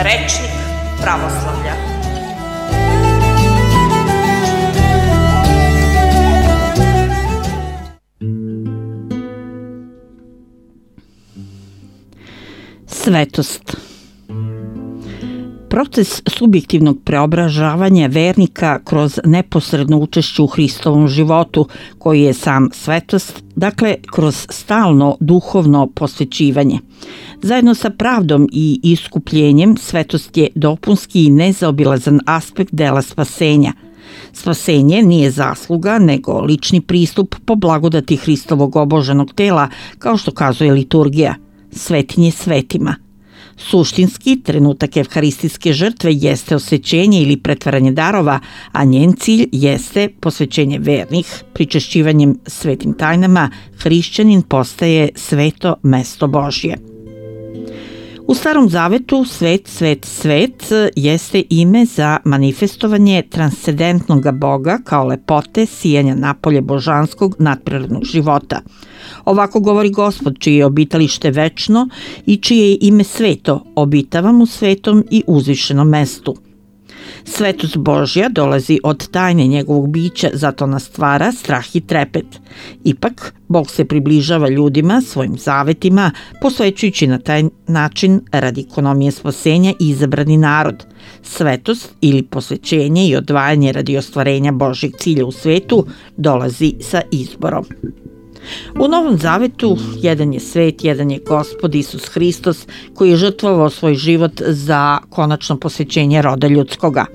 Rečnik pravoslavlja. Svetost. Proces subjektivnog preobražavanja vernika kroz neposredno učešće u Hristovom životu, koji je sam svetost, dakle kroz stalno duhovno posvećivanje. Zajedno sa pravdom i iskupljenjem, svetost je dopunski i nezaobilazan aspekt dela spasenja. Spasenje nije zasluga, nego lični pristup po blagodati Hristovog oboženog tela, kao što kazuje liturgija, svetinje svetima. Suštinski, trenutak evharistijske žrtve jeste osvećenje ili pretvaranje darova, a njen cilj jeste posvećenje vernih. Pričešćivanjem svetim tajnama, hrišćanin postaje sveto mesto Božje. U Starom Zavetu svet, svet, svet jeste ime za manifestovanje transcendentnog Boga kao lepote sijanja napolje božanskog nadprirodnog života. Ovako govori Gospod, čije je obitalište večno i čije je ime sveto, obitavam u svetom i uzvišenom mestu. Svetost Božja dolazi od tajne njegovog bića, zato nas stvara strah i trepet. Ipak, Bog se približava ljudima svojim zavetima, posvećujući na taj način radi ekonomije spasenja izabrani narod. Svetost ili posvećenje i odvajanje radi ostvarenja Božjeg cilja u svetu dolazi sa izborom. U Novom Zavetu jedan je svet, jedan je Gospod Isus Hristos, koji je žrtvovao svoj život za konačno posvećenje roda ljudskoga.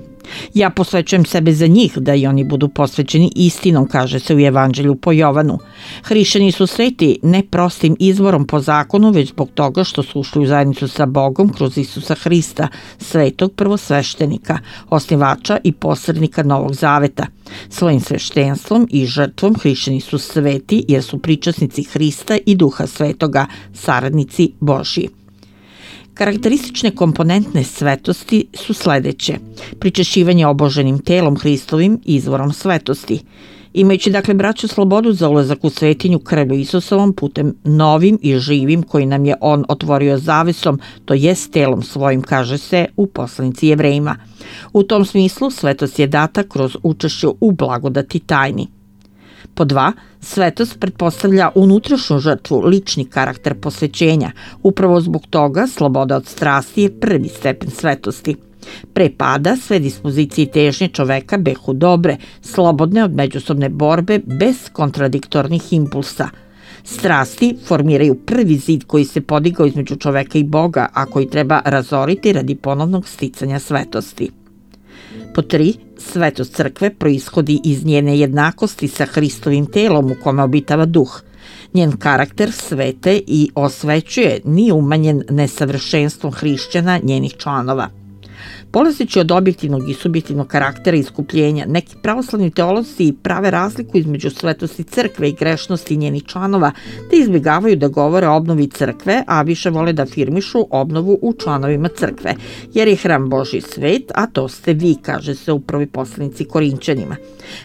Ja posvećujem sebe za njih, da i oni budu posvećeni istinom, kaže se u Evanđelju po Jovanu. Hrišćani su sveti ne prostim izborom po zakonu, već zbog toga što su ušli u zajednicu sa Bogom kroz Isusa Hrista, svetog prvosveštenika, osnivača i posrednika Novog Zaveta. Svojim sveštenstvom i žrtvom hrišćani su sveti jer su pričasnici Hrista i Duha Svetoga, saradnici Božji. Karakteristične komponentne svetosti su sledeće: pričešćivanje oboženim telom Hristovim, izvorom svetosti. Imajući dakle braću slobodu za ulazak u svetinju krvlju Isusovom putem novim i živim koji nam je on otvorio zavesom, to jest telom svojim, kaže se u poslanici Jevrejima. U tom smislu svetost je data kroz učešće u blagodati tajni. Po 2. Svetost pretpostavlja unutrašnju žrtvu, lični karakter posvećenja. Upravo zbog toga sloboda od strasti je prvi stepen svetosti. Pre pada sve dispozicije i težnje čoveka behu dobre, slobodne od međusobne borbe, bez kontradiktornih impulsa. Strasti formiraju prvi zid koji se podigao između čoveka i Boga, a koji treba razoriti radi ponovnog sticanja svetosti. Po 3. Svetost crkve proishodi iz njene jednakosti sa Hristovim telom u kome obitava duh. Njen karakter svete i osvećuje, nije umanjen nesavršenstvom hrišćana, njenih članova. Polazeći od objektivnog i subjektivnog karaktera iskupljenja, neki pravoslavni teolozi prave razliku između svetosti crkve i grešnosti njenih članova, te izbjegavaju da govore o obnovi crkve, a više vole da afirmišu obnovu u članovima crkve, jer je hram Božji svet, a to ste vi, kaže se u prvoj poslanici Korinćanima.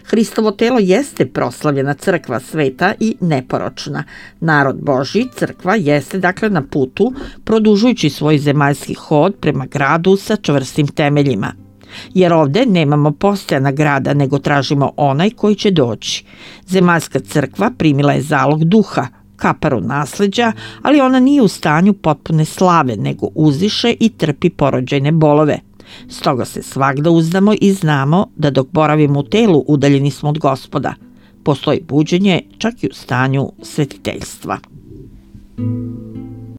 Hristovo telo jeste proslavljena crkva sveta i neporočna. Narod Božji, crkva, jeste dakle na putu, produžujući svoj zemaljski hod prema gradu sa čvrstim temeljima. Jer ovde nemamo postojana grada, nego tražimo onaj koji će doći. Zemaljska crkva primila je zalog duha, kaparu nasleđa, ali ona nije u stanju potpune slave, nego uziše i trpi porođajne bolove. Stoga se svagda uzdamo i znamo da dok boravimo u telu udaljeni smo od Gospoda. Postoji buđenje čak i u stanju svetiteljstva.